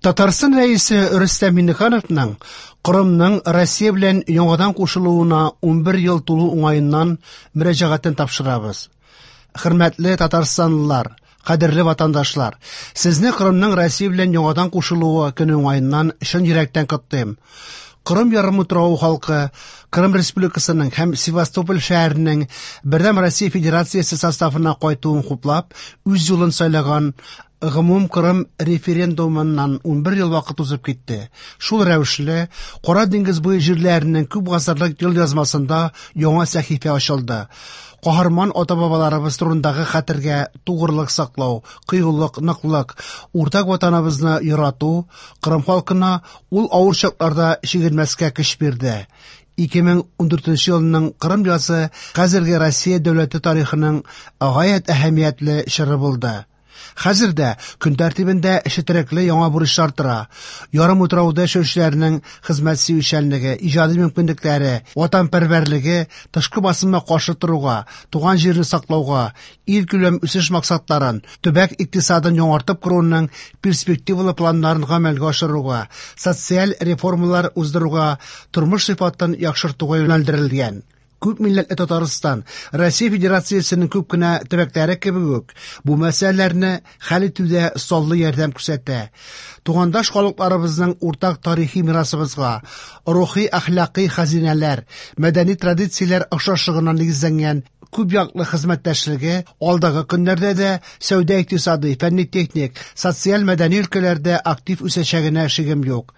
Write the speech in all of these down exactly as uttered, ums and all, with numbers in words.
Татарстан Рәисе Рөстәм Миңнехановның Кырымның Россия белән яңадан кушылуына унбер ел тулу уңаеннан мөрәҗәгатен тапшырабыз. Хөрмәтле татарстанлылар, кадерле ватандашлар, сезне Кырымның Россия белән яңадан кушылуы көне уңаеннан чын йөрәктән котлыйм. Кырым ярымутравы халкы Кырым Республикасының һәм Севастополь шәһәренең Бердәм Россия Федерациясе составына кайтуын хуплап, үз юлын сайлаган гомум Кырым референдумыннан унбер ел вакыт узып китте. Шул рәвешле Кара диңгез буе җирләренең күп гасырлык ел язмасында яңа сәхифә ачылды. Каһарман ата-бабаларыбыз турындагы хәтергә тугрылык саклау, кыюлык, ныклык, уртак ватаныбызны ярату Кырым халкына ул авыр чакларда чигенмәскә көч бирде. ике мең ундүртенче елның Кырым язы хәзерге Россия дәүләте тарихының гаять әһәмиятле чоры булды. Хәзер дә көн тәртибендә четерекле яңа бурычлар тора. Ярымутрауда яшәүчеләрнең хезмәт сөючәнлеге, иҗади мөмкинлекләре, ватанпәрвәрлеге тышкы басымга каршы торуга, туган җирне саклауга, ил күләм үсеш максатларын, төбәк икътисадын яңартып коруның перспективалы планнарын гамәлгә ашыруга, социаль реформалар уздыруга, тормыш сыйфатын яхшыртуга юнәлдерелгән. Күп милләтле Татарстан, Россия Федерациясенең күп кенә төбәкләре кебек үк, бу мәсьәләләрне хәл итүдә саллы ярдәм күрсәтә. Тугандаш халыкларыбызның уртак тарихи мирасыбызга, рухи әхлакый хәзинәләр, мәдәни традицияләр охшашлыгына нигезләнгән күп яклы хезмәттәшлеге алдагы көннәрдә дә сәүдә-икътисади, фәнни-техник, социаль-мәдәни өлкәләрдә актив үсәчәгенә шигем юк.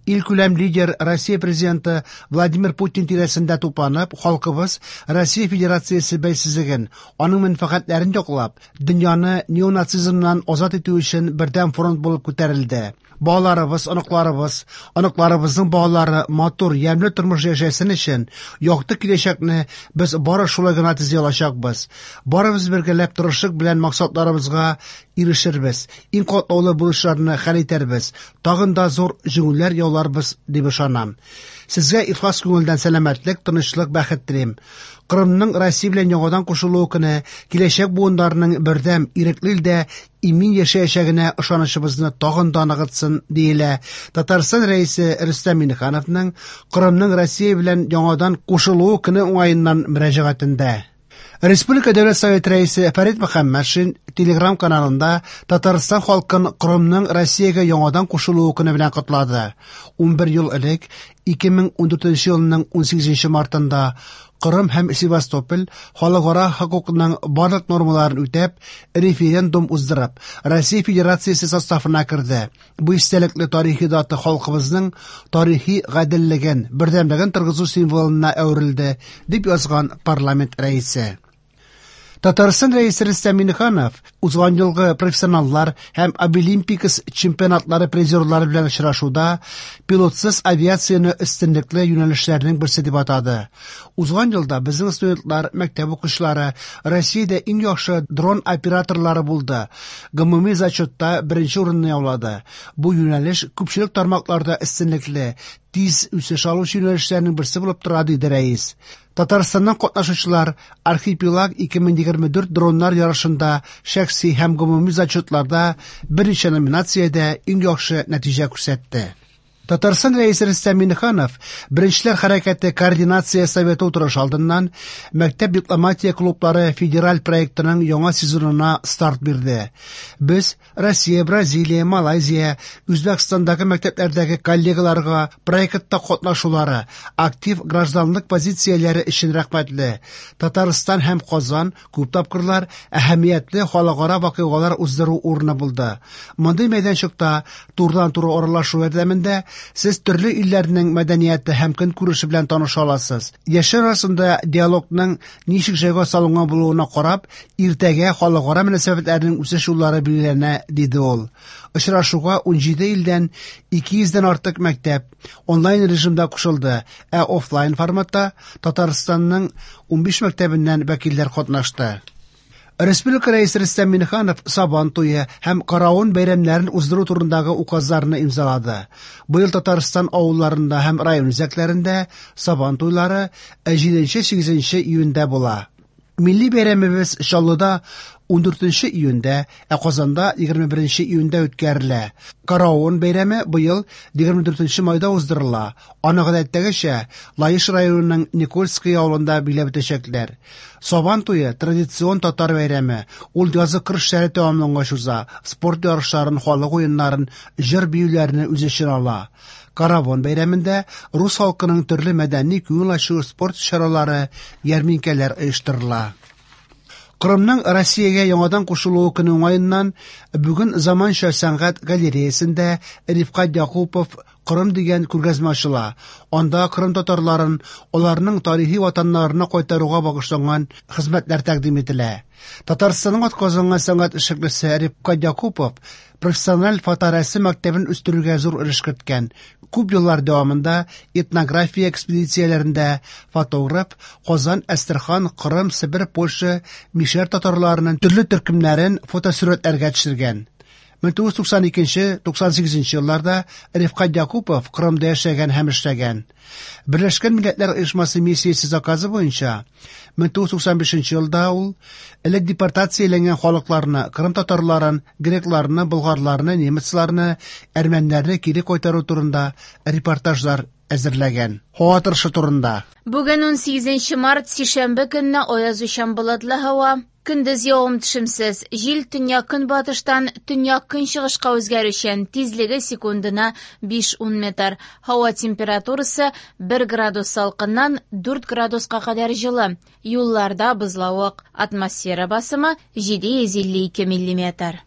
Илкүләм лидер Россия президенты Владимир Путин тирәсендә тупланып, халкыбыз Россия Федерациясе бәйсезлеген, аның мәнфәгатьләрен яклап, дөньяны неонацизмнан азат итү өчен бердәм фронт булып күтәрелде. Балаларыбыз, оныкларыбыз, оныкларыбызның балалары матур, ямьле тормыш яшәсен өчен якты киләчәкне без бары шулай гына төзи алачакбыз. Барыбыз бергәләп тырышлык белән максатларыбызга ирешербез, иң катлаулы бурычларны хәл итәрбез, тагын да зур җиңүләр яуларбыз дип ышанам. Сезгә ихлас күңелдән сәламәтлек, тынычлык, бәхет телим. Кырымның Россия белән яңадан кушылуы көне киләчәк буыннарының бердәм, ирекле илдә имин яшәячәгенә ышанычыбызны тагын да ныгытсын, диелә Татарстан Рәисе Рөстәм Миңнехановның Кырымның Россия белән яңадан кушылуы көне уңаеннан мөрәҗәгатендә. Республика Дәүләт Советы Рәисе Фәрит Мөхәммәтшин Телеграм каналында Татарстан халкын Кырымның Россиягә яңадан кушылуы көне белән котлады. Унбер ел элек, ике мең ундүртенче елның унсигезенче мартында Кырым һәм Севастополь халыкара хокукның барлык нормаларын үтәп, референдум уздырып, Россия Федерациясе составына керде. Бу истәлекле тарихи дата халкыбызның тарихи гаделлеген, бердәмлеген торгызу символына әверелде, дип язган парламент рәисе. Татарстан Рәисе Рөстәм Миңнеханов узган елгы профессионаллар һәм Абилимпикс чемпионатлары призерлары белән очрашуда пилотсыз авиацияне өстенлекле юнәлешләрнең берсе дип атады. Узган елда безнең студентлар, мәктәп укучылары Россиядә иң яхшы дрон операторлары булды. Гомуми зачетта беренче урынны яулады. Бу юнәлеш күпчелек тармакларда өстенлекле, тиз үсеш алучы юнәлешләрнең берсе булып тора, диде рәис. Татарстаннан катнашучылар Архипелаг ике мең егерме дүрт дроннар ярышында шәхси һәм гомуми зачетларда берничә номинациядә иң яхшы нәтиҗә күрсәтте. Татарстан Рәисе Рөстәм Миңнеханов Беренчеләр хәрәкәте координация советы утырышы алдыннан Мәктәп дипломатия клублары федераль проектының яңа сезонына старт бирде. Без Россия, Бразилия, Малайзия, Үзбәкстандагы мәктәпләрдәге коллегаларга проектта катнашулары, актив гражданлык позицияләре өчен рәхмәтле. Татарстан һәм Казан күп тапкырлар әһәмиятле халыкара вакыйгалар уздыру урыны булды. Мондый мәйданчыкта турыдан-туры аралашу ярдәмендә сез төрле илләрнең мәдәнияте һәм көнкүреше белән таныша аласыз. Яшьләр арасында диалогның ничек җайга салынган булуына карап, иртәгә халыкара мөнәсәбәтләрнең үсеш юллары билгеләнә, диде ул. Очрашуга унҗиде илдән ике йөздән артык мәктәп онлайн режимда кушылды, ә офлайн форматта Татарстанның унбиш мәктәбеннән вәкилләр катнашты. Республика Рәисе Рөстәм Миңнеханов Сабан туе һәм Каравон бәйрәмнәрен уздыру турындагы указларны имзалады. Быел Татарстан авылларында һәм район үзәкләрендә Сабан туйлары җиденче-сигезенче июньдә була. Милли бәйрәмебез Чаллыда ундүртенче июньдә, ә Казанда егерме беренче июньдә үткәрелә. Каравон бәйрәме быел егерме дүртенче майда уздырыла. Аны гадәттәгечә Лаеш районының Никольское авылында биләп үтәчәкләр. Сабан туе традицион татар бәйрәме. Ул язгы кыр эшләре тәмамлангач уза, спорт ярышларын, халык уеннарын, җыр-биюләрне үз эченә ала. Каравон бәйрәмендә рус халкының төрле мәдәни, күңел ачу, спорт чаралары, ярминкәләр оештырыла. Кырымның Россиягә яңадан кушылуы көне уңаеннан бүген заманча сәнгать галереясендә Рифкать Якупов Кырым дигән күргәзмә ачыла. Анда Кырым татарларын аларның тарихи ватаннарына кайтаруга багышланган хезмәтләр тәкъдим ителә. Татарстанның атказанган сәнгать эшлеклесе Рифкать Якупов профессиональ фоторәсем мәктәбен үстерүгә зур өлеш керткән. Күп еллар дәвамында этнография экспедицияләрендә фотограф Казан, Әстерхан, Кырым, Себер, Польша, Мишәр татарларының төрле төркемнәрен фотосурәтләргә төшергән. Мең тугыз туксан икенче, туксан сигезенче елларда Рифкать Якупов Кырымда яшәгән һәм эшләгән. Берләшкән Милләтләр Оешмасы миссиясе заказы буенча мең тугыз туксан бишенче елда ул элек депортацияләнгән халыкларны, Кырым татарларын, грекларны, болгарларны, немецларны, әрмәннәрне кире кайтару турында репортажлар әзерләгән. Һава торышы турында. Бүген унсигезенче март, сишәмбе көнне аязучан болытлы һава. Көндез явым-төшемсез, җил төньяк-көнбатыштан төньяк-көнчыгышка үзгәрүчән, тизлеге секундына биш-ун метр. Һава температурасы бер градус салкыннан дүрт градуска кадәр җылы. Юлларда бозлавык. Атмосфера басымы җиде йөз илле ике миллиметр.